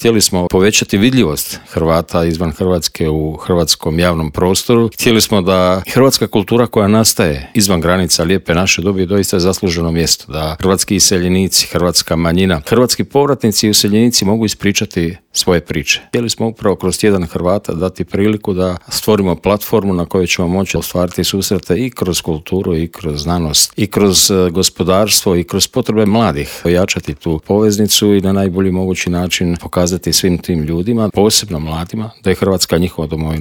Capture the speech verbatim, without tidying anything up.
Htjeli smo povećati vidljivost Hrvata izvan Hrvatske u hrvatskom javnom prostoru. Htjeli smo da hrvatska kultura koja nastaje izvan granica lijepe naše dobije doista zasluženo mjesto, da hrvatski iseljenici, hrvatska manjina, hrvatski povratnici i useljenici mogu ispričati svoje priče. Htjeli smo upravo kroz tjedan Hrvata dati priliku da stvorimo platformu na kojoj ćemo moći ostvariti susrete i kroz kulturu i kroz znanost i kroz gospodarstvo i kroz potrebe mladih, ojačati tu poveznicu i na najbolji mogući način pokazati svim tim ljudima, posebno mladima, da je Hrvatska njihova domovina.